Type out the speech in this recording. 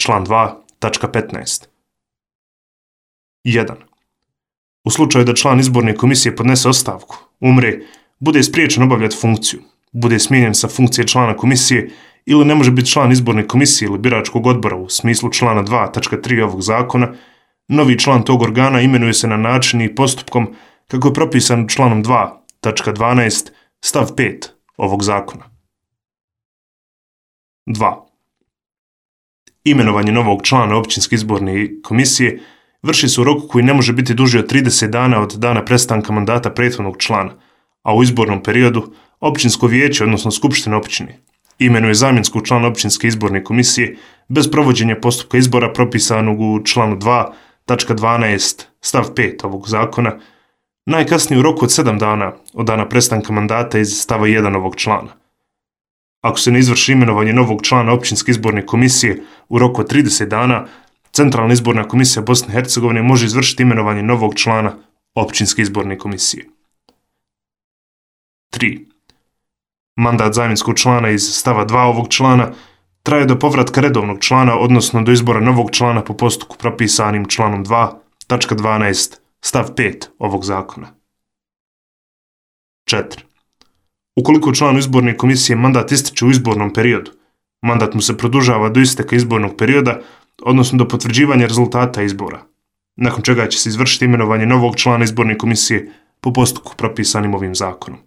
član 2, tačka 15. 1. U slučaju da član izborne komisije podnese ostavku, umre, bude spriječen obavljati funkciju, bude smijenjen sa funkcije člana komisije ili ne može biti član izborne komisije ili biračkog odbora u smislu člana 2, tačka 3 ovog zakona, novi član tog organa imenuje se na način i postupkom kako je propisan članom 2, tačka 12, stav 5 ovog zakona. 2. Imenovanje novog člana općinske izborne komisije vrši se u roku koji ne može biti duži od 30 dana od dana prestanka mandata prethodnog člana, a u izbornom periodu općinsko vijeće, odnosno skupština općine, imenuje zamjenskog člana općinske izborne komisije bez provođenja postupka izbora propisanog u članu 2, tačka 12, stav 5 ovog zakona, najkasnije u roku od 7 dana od dana prestanka mandata iz stava 1 ovog člana. Ako se ne izvrši imenovanje novog člana općinske izborne komisije u roku od 30 dana, Centralna izborna komisija Bosne i Hercegovine može izvršiti imenovanje novog člana općinske izborne komisije. 3. Mandat zamjenskog člana iz stava 2 ovog člana traje do povratka redovnog člana, odnosno do izbora novog člana po postupku propisanim članom 2, tačka 12, stav 5 ovog zakona. 4. Ukoliko članu izborne komisije mandat ističe u izbornom periodu, mandat mu se produžava do isteka izbornog perioda, odnosno do potvrđivanja rezultata izbora, nakon čega će se izvršiti imenovanje novog člana izborne komisije po postupku propisanim ovim zakonom.